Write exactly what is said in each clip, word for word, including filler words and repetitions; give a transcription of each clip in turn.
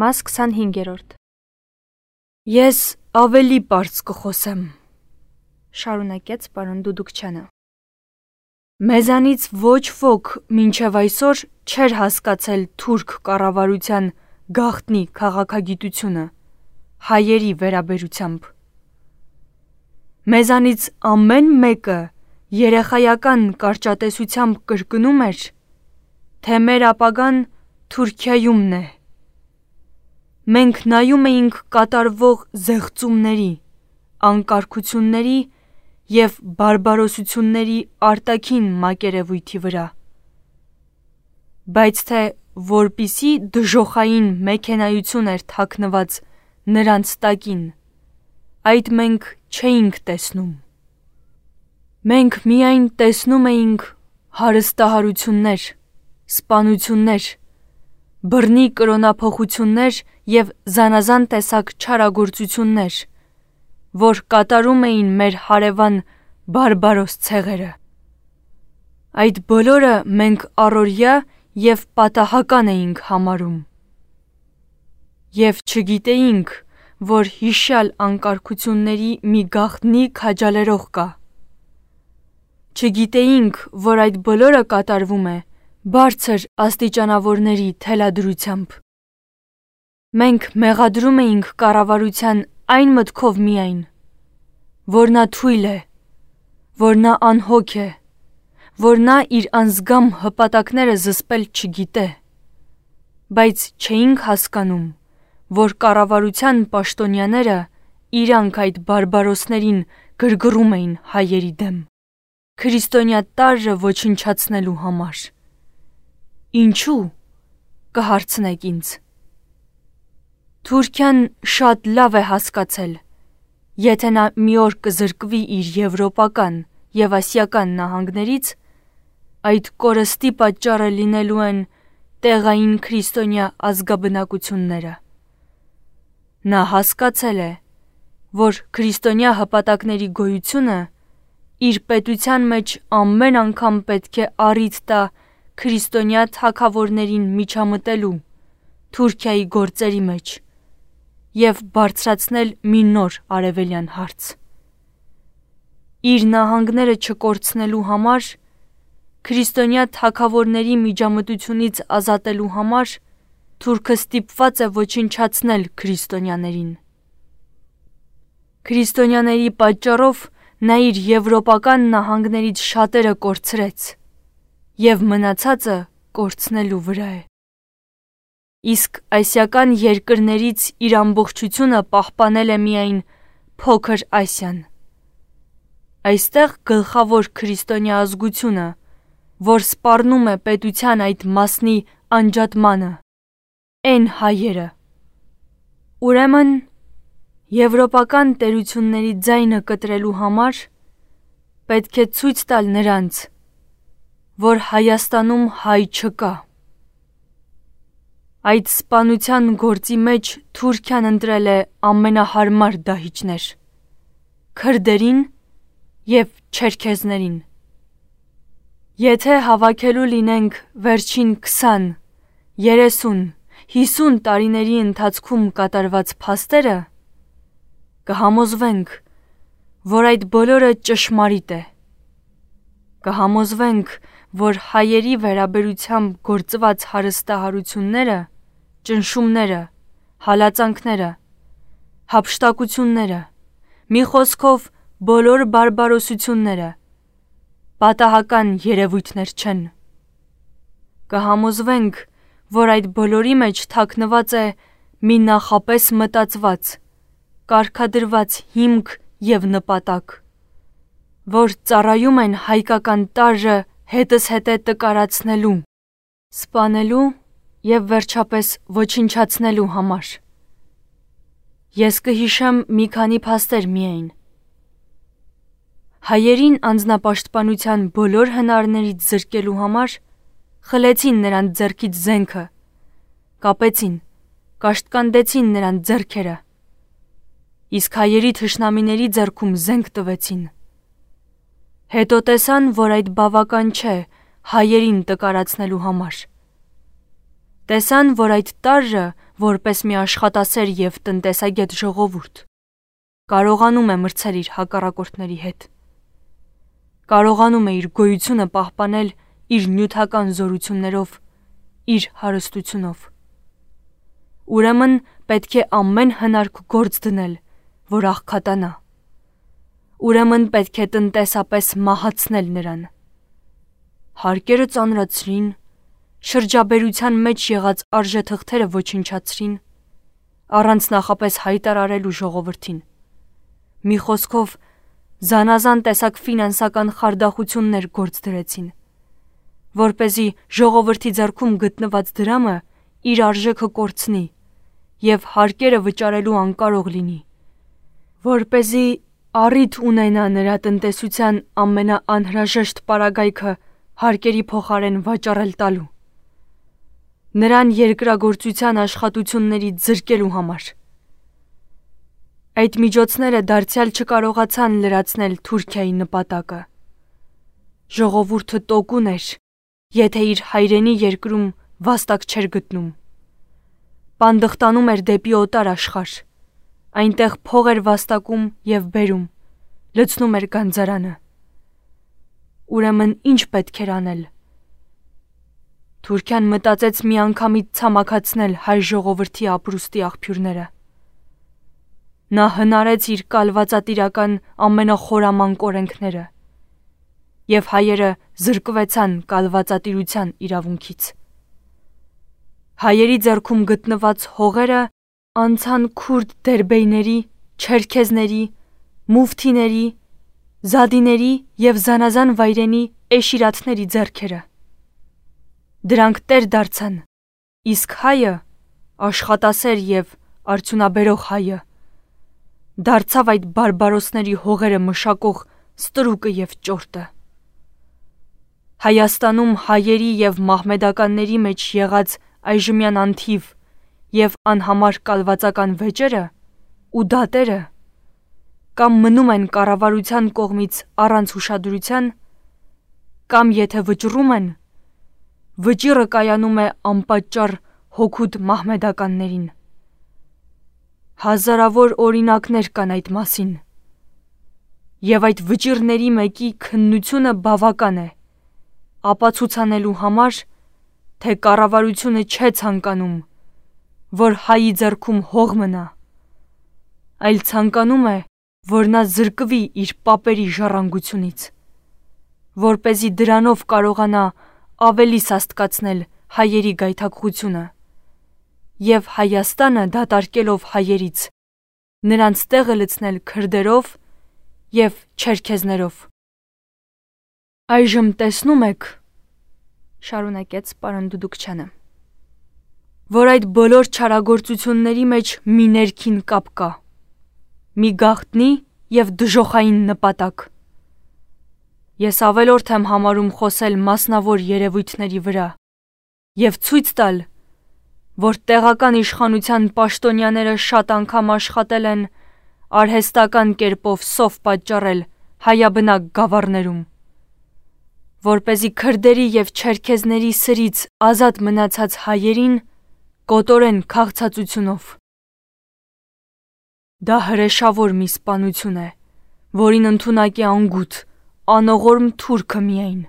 Մաս քսանհինգերորդ Ես ավելի պարզ կխոսեմ, շարունակեց պարոն Դուդուկչյանը։ Մեզանից ոչ ոք մինչև այսօր չէր հասկացել թուրք կառավարության գաղտնի քաղաքագիտությունը հայերի վերաբերությամբ։ Մեզանից ամեն մեկը երեխայական կարճատեսությամբ կրկնում էր, թե մեր ապագան Թուրքիայումն է։ Մենք նայում էինք կատարվող զեղծումների, անկարգությունների և բարբարոսությունների արտաքին մակերևույթի վրա, բայց թե որպիսի դժոխային մեքենայություն էր թաքնված նրանց տակին, այդ մենք չէինք տեսնում։ Մենք միայն տեսնում էինք հարստահարություններ, սպանություններ, բռնի կրոնափոխություններ և զանազան տեսակ չարագործություններ, որ կատարում էին մեր հարևան բարբարոս ցեղերը։ Այդ բոլորը մենք առօրյա և պատահական էինք համարում և չգիտեինք, որ հիշյալ անկարգությունների մի գաղտնի քաջալերող կա։ Չգիտեինք, որ այդ բոլորը կատարվում է բարձր աստիճանավորների թելադրությամբ։ Մենք մեղադրում էինք կառավարության այն մտքով միայն, որ նա թույլ է, որ նա անհոգ է, որ նա իր անձգամ հպատակները զսպել չգիտե, բայց չէինք հասկանում, որ կառավարության պաշտոնյաները իրանք այդ բարբարոսներին գրգռում էին հայերի դեմ, քրիստոնյա տարրը ոչնչացնելու համար։ Ինչու՞, կհարցնեք ինձ։ Թուրքիան շատ լավ է հասկացել, եթե նա մի օր կզրկվի իր եվրոպական և ասիական նահանգներից, այդ կորստի պատճառը լինելու են տեղային քրիստոնյա ազգաբնակությունները։ Նա հասկացել է, որ քրիստոնյա հպատակների գոյությունը իր պետության մեջ ամեն անգամ պետք է առիթ տա քրիստոնյա թագավորներին միջամտելու Թուրքիայի գործերի մեջ և բարձրացնել մի նոր արևելյան հարց։ Իր նահանգները չկորցնելու համար, քրիստոնյա թագավորների միջամտությունից ազատելու համար թուրքը ստիպված է ոչնչացնել քրիստոնյաներին։ Քրիստոնյաների պատճառով նա իր եվրոպական նահանգներից շատերը կորցրեց և մնացածը կորցնելու վրա է։ Իսկ ասիական երկրներից իր ամբողջությունը պահպանել է միայն Փոքր Ասիան։ Այստեղ գլխավոր քրիստոնյա ազգությունը, որ սպառնում է պետության այդ մասնի անջատմանը, են հայերը։ Ուրեմն, եվրոպական տերությունների ձայնը կտրելու համար պետք է ցույց տալ նրանց, որ Հայաստանում հայ չկա։ Այդ սպանության գործի մեջ Թուրքիան ընտրել է ամենահարմար դահիճներ՝ քրդերին և չերքեզներին։ Եթե հավաքելու լինենք վերջին քսան, երեսուն, հիսուն տարիների ընթացքում կատարված փաստերը, կհամոզվենք, որ այդ բոլորը ճշմարիտ է։ Կհամոզվենք, որ հայերի վերաբերությամբ գործված հարստահարությունները, ճնշումները, հալածանքները, հափշտակությունները, մի խոսքով բոլոր բարբարոսությունները պատահական երևույթներ չեն։ Կհամոզվենք, որ այդ բոլորի մեջ թաքնված է մի նախապես մտածված, կարգադրված հիմք և նպատակ, որ ծառայում են հայկական տարրը հետզհետե տկարացնելու, սպանելու և վերջապես ոչնչացնելու համար։ Ես կհիշեմ մի քանի փաստեր միայն։ Հայերին անձնապաշտպանության բոլոր հնարներից զրկելու համար խլեցին նրանց ձեռքից զենքը, կապեցին, կաշտկանդեցին նրանց ձեռքերը, իսկ հայերի թշնամիների ձեռքում զենք տվեցին։ Հետո տեսան, որ այդ բավական չէ հայերին տկարացնելու համար։ Տեսան, որ այդ տարրը որպես մի աշխատասեր և տնտեսագետ ժողովուրդ, կարողանում է մրցել իր հակառակորդների հետ։ Կարողանում է իր գոյությունը պահպանել իր նյութական զորություններով, իր հարստությունով։ Ուրեմն պետք է ամեն հնարք գործ դնել, որ աղքատանա։ Ուրեմն պետք է տնտեսապես մահացնել նրան։ Հարկերը ծանրացրին, շրջաբերության մեջ եղած արժեթղթերը ոչնչացրին, առանց նախապես հայտարարելու ժողովրդին։ Մի խոսքով, զանազան տեսակ ֆինանսական խարդախություններ գործ դրեցին, որպեսզի ժողովրդի ձեռքում գտնված դրամը իր արժեքը կորցնի և հարկերը վճարելու անկարող լինի, որպեսզի առիթ ունենա նրա տնտեսության ամենաանհրաժեշտ պարագայքը հարկերի փոխարեն վաճառել տալու, նրան երկրագործության աշխատություններից զրկելու համար։ Այդ միջոցները դարձյալ չկարողացան լրացնել Թուրքիայի նպատակը։ Ժողովուրդը տոկուն էր, եթե իր հայրենի երկրում վաստակ չէր գտնում։ Պանդխտանում էր դեպի օտար աշխարհ, այնտեղ փող էր վաստակում և բերում, լցնում էր գանձարանը։ Ուրեմն ինչ պետք էր անել։ Թուրքիան մտածեց միանգամից ցամաքացնել հայ ժողովրդի ապրուստի աղբյուրները։ Նա հնարեց իր կալվածատիրական ամենախորամանկ օրենքները, և հայերը զրկվեցան կալվածատիրության իրավունքից։ Հայերի ձեռքում գտնված հողերը անցան քուրդ դերբեյների, չերքեզների, մուֆթիների, զադիների և զանազան վայրենի էշիրաթների ձեռքերը։ Դրանք տեր դարձան, իսկ հայը, աշխատասեր և արդյունաբերող հայը, դարձավ այդ բարբարոսների հողերը մշակող ստրուկը և ճորտը։ Հայաստանում հայերի և մահմեդականների մեջ եղած այժմյան անթիվ և անհամար կալվածական վեճերը ու դատերը կամ մնում են կառավարության կողմից առանց ուշադրության, կամ եթե վճռում են, վճիռը կայանում է անպատճառ հօգուտ մահմեդականներին։ Հազարավոր օրինակներ կան այդ մասին, և այդ վճիռների մեկի քննությունը բավական է ապացուցանելու համար, թե կառավարությունը չէ ցանկանում, որ հայի ձեռքում հող մնա, այլ ցանկանում է, որ նա զրկվի իր պապերի ժառանգությունից, որպեսզի դրանով կարողանա ավելի սաստկացնել հայերի գայթակղությունը և Հայաստանը դատարկելով հայերից, նրանց տեղը լցնել քրդերով և չերքեզներով։ Այժմ տեսնում եք, շարունակեց պարոն Դուդուկչյանը, որ այդ բոլոր չարագործությունների մեջ մի ներքին կապ կա, մի գաղտնի և դժոխային նպատակ։ Ես ավելորդ եմ համարում խոսել մասնավոր երևույթների վրա և ցույց տալ, որ տեղական իշխանության պաշտոնյաները շատ անգամ աշխատել են արհեստական կերպով սով պատճառել հայաբնակ գավառներում, որպեսզի քրդերի և չերքեզների սրից ազատ մնացած հայերին կոտորեն քաղցածությունով։ Դա հրեշավոր մի սպանություն է, որին ընդունակ է անգութ, անողորմ թուրքը միայն։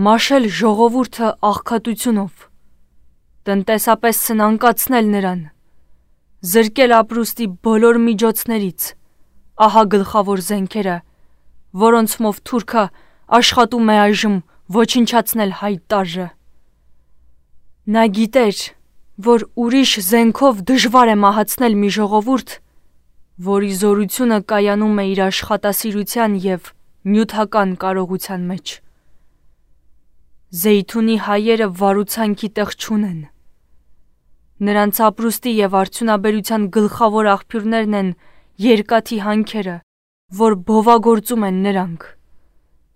Մաշել ժողովուրդը աղքատությունով, տնտեսապես սնանկացնել նրան, զրկել ապրուստի բոլոր միջոցներից, ահա գլխավոր զենքերը, որոնցմով թուրքը աշխատում է այժմ ոչնչացնել հայ տարրը։ Նա գիտեր, որ ուրիշ զենքով դժվար է մահացնել մի ժողովուրդ, որի զորությունը կայանում է իր աշխատասիրության և նյութական կարողության մեջ։ Զեյթունի հայերը վարուցանքի տեղ չունեն։ Նրանց ապրուստի և արդյունաբերության գլխավոր աղբյուրներն են երկաթի հանքերը, որ բովագործում են նրանք,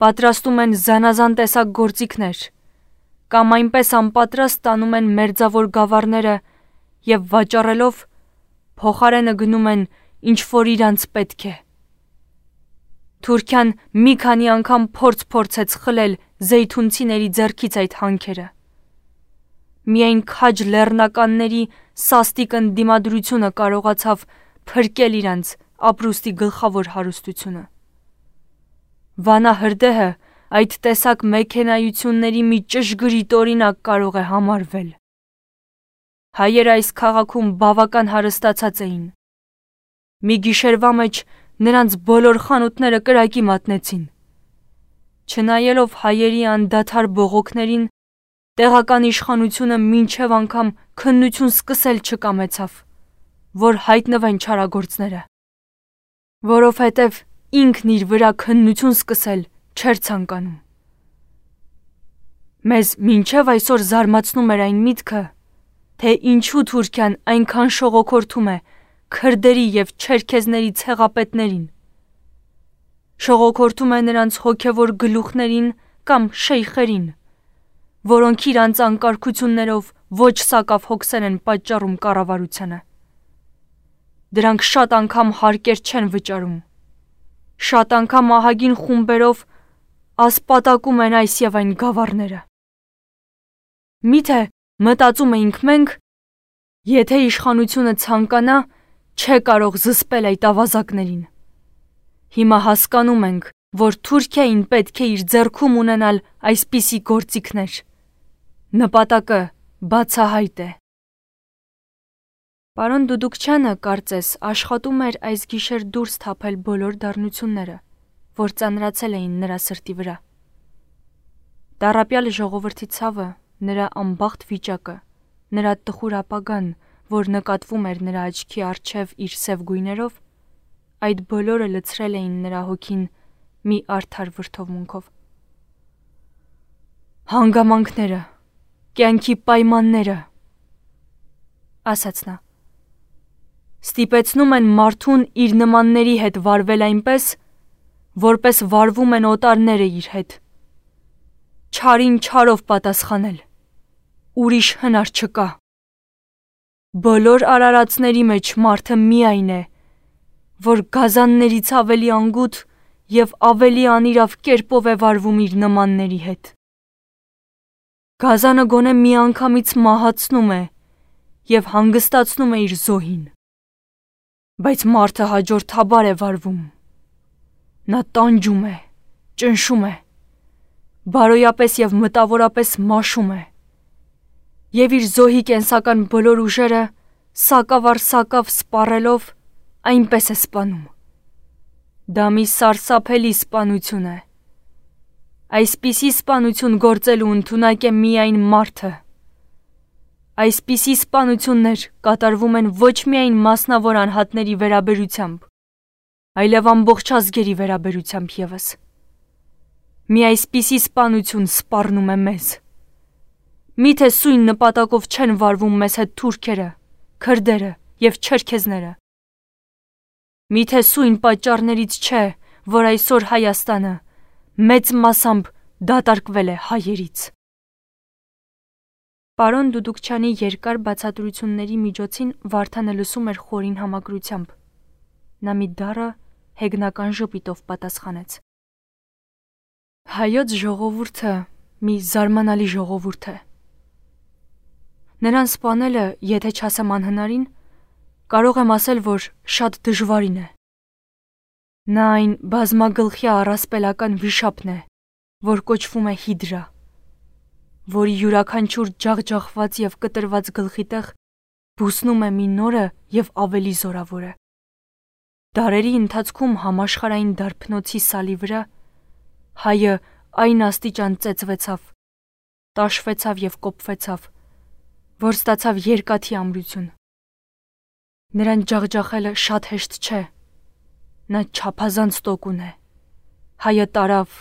պատրաստում են զանազան տեսակ գործիքներ, կամ այնպես անպատրաստ տանում են մերձավոր գավառները և վաճառելով փոխարենը գնում են ինչ որ իրանց պետք է։ Թուրքիան մի քանի անգամ փորձ փորձեց խլել զեյթունցիների ձեռքից այդ հանքերը, Միայն քաջ լեռնականների սաստիկ ընդդիմադրությունը կարողացավ փրկել իրանց ապրուստի գլխավոր հարստությունը։ Վանա հրդեհը այդ տեսակ մեքենայությունների մի ճշգրիտ օրինակ կարող է համարվել։ Հայերը այս քաղաքում բավական հարստացած էին։ Մի գիշերվա մեջ նրանց բոլոր խանութները կրակի մատնեցին։ Չնայելով հայերի անդադար բողոքներին, տեղական իշխանությունը մինչև անգամ քննություն սկսել չկամեցավ, որ հայտնվեն չարագործները, որովհետև ինքն իր վրա քննություն սկսել չէր ցանկանում։ Մեզ մինչև այսօր զարմացնում էր այն միտքը, թե ինչու Թուրքիան այնքան շողոքորթում է քրդերի և չերքեզների ցեղապետներին, շողոքորթում է նրանց հոգևոր գլուխներին կամ շեյխերին, որոնք իրանց անկարգություններով ոչ սակավ հոգսեր են պատճառում կառավարությանը։ Դրանք շատ անգամ հարկեր չեն վճարում, շատ անգամ ահագին խումբերով ասպատակում են այս և այն գավառները։ Միթե մտածում էինք մենք, եթե իշխանությունը ցանկանա, չէ կարող զսպել այդ ավազակներին։ Հիմա հասկանում ենք, որ Թուրքիային պետք է իր ձեռքում ունենալ այսպիսի գործիքներ։ Նպատակը բացահայտ է։ Պարոն Դուդուկչյանը, կարծես, աշխատում էր այս գիշեր դուրս թափել բոլոր դառնությունները, որ ծանրացել էին նրա սրտի վրա։ Տառապյալ ժողովրդի ցավը, նրա անբախտ վիճակը, նրա տխուր ապագան, որ նկատվում էր նրա աչքի առջև իր սև գույներով, այդ բոլորը լցրել էին նրա հոգին մի արդար վրդովմունքով։ Հանգամանքները, կյանքի պայմանները, ասաց նա, ստիպեցնում են մարդուն իր նմանների հետ վարվել այնպես, որպես վարվում են օտարները իր հետ։ Չարին չարով պատասխանել, ուրիշ հնար չկա։ Բոլոր արարածների մեջ մարդը միայն է, որ գազաններից ավելի անգութ և ավելի անիրավ կերպով է վարվում իր նմանների հետ։ Գազանը գոնե միանգամից մահացնում է և հանգստացնում է իր զոհին, բայց մարդը հաջորդաբար է վարվում։ Նա տանջում է, ճնշում է, բարոյապես և մտավորապես մաշում է, և իր զոհի կենսական բոլոր ուժերը սակավ առ սակավ սպառելով այնպես է սպանում։ Դա մի սարսափելի սպանություն է։ Այսպիսի սպանություն գործելու ընդունակ է միայն մարդը։ Այսպիսի սպանություններ կատարվում են ոչ միայն մասնավոր անհատների վերաբերությամբ, այլև ամբողջ ազգերի վերաբերությամբ ևս։ Մի այսպիսի սպանություն սպառնում է մեզ։ Միթե սույն նպատակով չեն վարվում մեզ հետ թուրքերը, քրդերը և չերքեզները։ Միթե սույն պատճառներից չէ, որ այսօր Հայաստանը մեծ մասամբ դատարկվել է հայերից։ Պարոն Դուդուկչյանի երկար բացատրությունների միջոցին Վարդանը լսում էր խորին համակրությամբ։ Նա մի դառը, հեգնական ժպիտով պատասխանեց. Հայոց ժողովուրդը մի զարմանալի ժողովուրդ է։ Նրան սպանելը, եթե չասեմ անհնարին, կարող եմ ասել, որ շատ դժվարին է։ Նա այն բազմագլխյա առասպելական վիշապն է, որ կոչվում է Հիդրա, որի յուրաքանչյուր ջախջախված և կտրված գլխի տեղ բուսնում է մի նորը և ավելի զորավորը։ Դարերի ընթացքում համաշխարհային դարբնոցի սալի վրա հայը այն աստիճան ծեծվեցավ, տաշվեցավ և կոփվեցավ, որ ստացավ երկաթի ամրություն։ Նրան ջախջախելը շատ հեշտ չէ։ Նա չափազանց տոկուն է։ Հայը տարավ,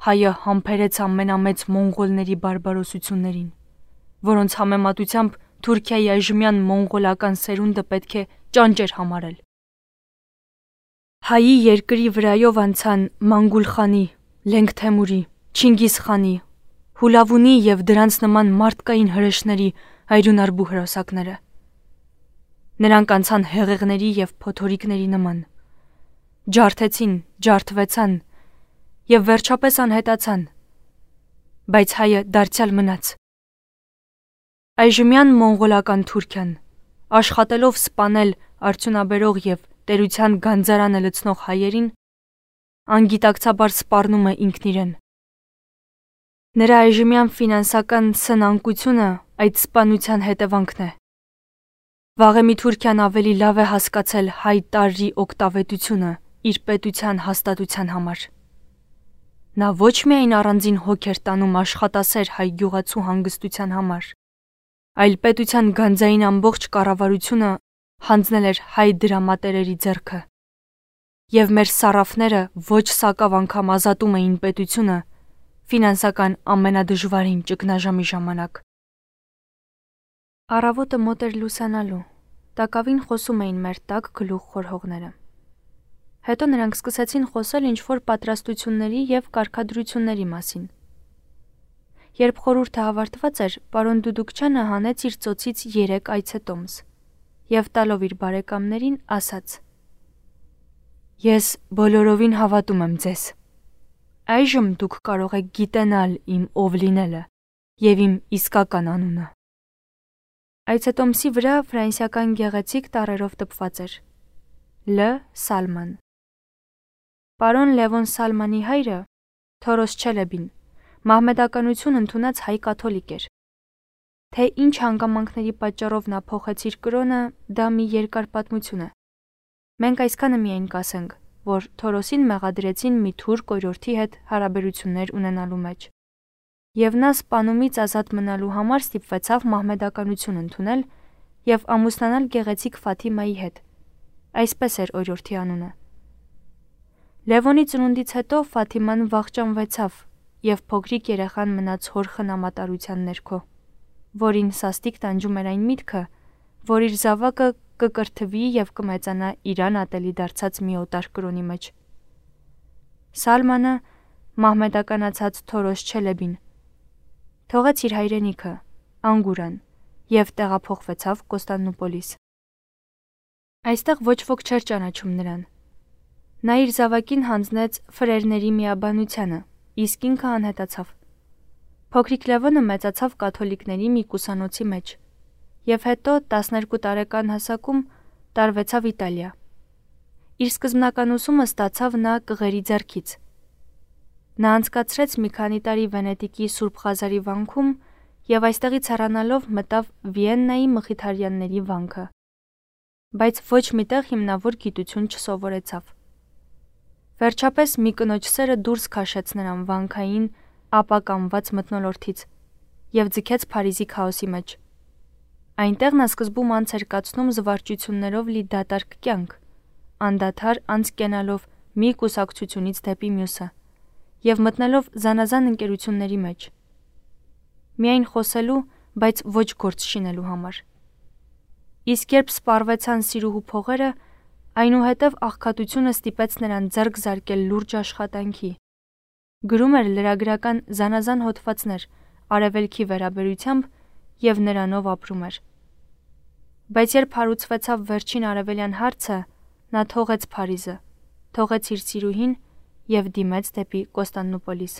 հայը համբերեց ամենամեծ մոնղոլների բարբարոսություններին, որոնց համեմատությամբ Թուրքիայի այժմյան մոնղոլական սերունդը պետք է ճանճեր համարել։ Հայի երկրի վրայով անցան Մանգուլխանի, Լենգթեմուրի, Չինգիզխանի, Հուլավունի և դրանց նման մարդկային հրեշների այրունարբու հրոսակները։ Նրանք անցան հեղեղների և փոթորիկների նման, ջարդեցին, ջարդվեցան և վերջապես անհետացան, բայց հայը դարձյալ մնաց։ Այժմյան մոնղոլական Թուրքիան, աշխատելով սպանել արդյունաբերող եւ տերության գանձարանը լցնող հայերին, անգիտակցաբար սպառնում է ինքն իրեն։ Նրա այժմյան ֆինանսական սնանկությունը այդ սպանության հետևանքն է։ Վաղեմի Թուրքիան ավելի լավ է հասկացել հայ տարրի օգտավետությունը իր պետության հաստատության համար։ Նա ոչ միայն առանձին հոգ էր տանում աշխատասեր հայ գյուղացու հանգստության համար, այլ պետության գանձային ամբողջ կառավարությունը հանձնել էր հայ դրամատերերի ձեռքը։ Եվ մեր սարաֆները ոչ սակավ անգամ ազատում էին պետությունը ֆինանսական ամենադժվարին ճգնաժամի ժամանակ։ Առավոտը մոտ էր լուսանալու, տակավին խոսում էին մեր տաք գլուխ խորհողները։ Հետո նրանք սկսեցին խոսել ինչ-որ պատրաստությունների և կարգադրությունների մասին։ Երբ խորհուրդը հավարտված էր, պարոն Դուդուկչյանը հանեց իր ծոցից երեք այցետոմս և տալով իր բարեկամներին ասաց. «Ես բոլորովին հավատում եմ ձեզ։ Այժմ դուք կարող եք գիտենալ իմ ով լինելը և իմ իսկական անունը»։ Այցետոմսի վրա ֆրանսիական գեղեցիկ տառերով տպված էր. Լ. Սալման։ Պարոն Լևոն Սալմանի հայրը, Թորոս Չելեբին, մահմեդականություն ընդունած հայ կաթոլիկ էր։ Թե ինչ հանգամանքների պատճառով նա փոխեց իր կրոնը, դա մի երկար պատմություն է։ Մենք այսքանը միայն կասենք, որ Թորոսին մեղադրեցին մի թուրք օրիորդի հետ հարաբերություններ ունենալու մեջ, և նա սպանումից ազատ մնալու համար ստիպվեցավ մահմեդականություն ընդունել և ամուսնանալ գեղեցիկ Ֆաթիմայի հետ, այսպես էր օրիորդի անունը։ Լևոնի ծնունդից հետո Ֆաթիման վախճանվեցավ և փոքրիկ երեխան մնաց հոր խնամատարության ներքո, որին սաստիկ տանջում էր այն միտքը, որ իր զավակը կկրթվի և կմեծանա իրան ատելի դարձած մի օտար կրոնի մեջ։ Սալմանը մահմեդականացած Թորոս Չելեբին թողեց իր հայրենիքը, Անգուրան, և տեղափոխվեցավ Կոստանդնուպոլիս։ Այստեղ ոչ ոք չէր ճանաչում նրան։ Նա իր զավակին հանձնեց ֆրերների միաբանությանը, իսկ ինքը անհետացավ։ Փոքրիկ Լևոնը մեծացավ կաթոլիկների մի կուսանոցի մեջ և հետո տասներկու տարեկան հասակում տարվեցավ Իտալիա։ Իր սկզբնական ուսումը ստացավ նա կղերի ձեռքից։ Նա անցկացրեց մի քանի տարի Վենետիկի Սուրբ Ղազարի վանքում և այստեղից հեռանալով մտավ Վիեննայի մխիթարյանների վանքը, բայց ոչ մի տեղ հիմնավոր գիտություն չսովորեցավ։ Վերջապես մի կնոջ սերը դուրս քաշեց նրան վանքային ապականված մթնոլորտից և ձգեց Փարիզի քաոսի մեջ։ Այնտեղ նա սկզբում անց էր կացնում զվարճություններով լի դատարկ կյանք, անդադար անց կենալով մի կուսակցությունից դեպի մյուսը և մտնելով զանազան ընկերությունների մեջ, միայն խոսելու, բայց ոչ գործ շինելու համար։ Իսկ երբ սպառվեցան սիրուհու փողերը, այնուհետև աղքատությունը ստիպեց նրան ձեռք զարկել լուրջ աշխատանքի։ Գրում էր լրագրական զանազան հոդվածներ Արևելքի վերաբերությամբ և նրանով ապրում էր։ Բայց երբ հարուցվեցավ վերջին արևելյան հարցը, նա թողեց Փարիզը, թողեց իր սիրուհին և դիմեց դեպի Կոստանդնուպոլիս։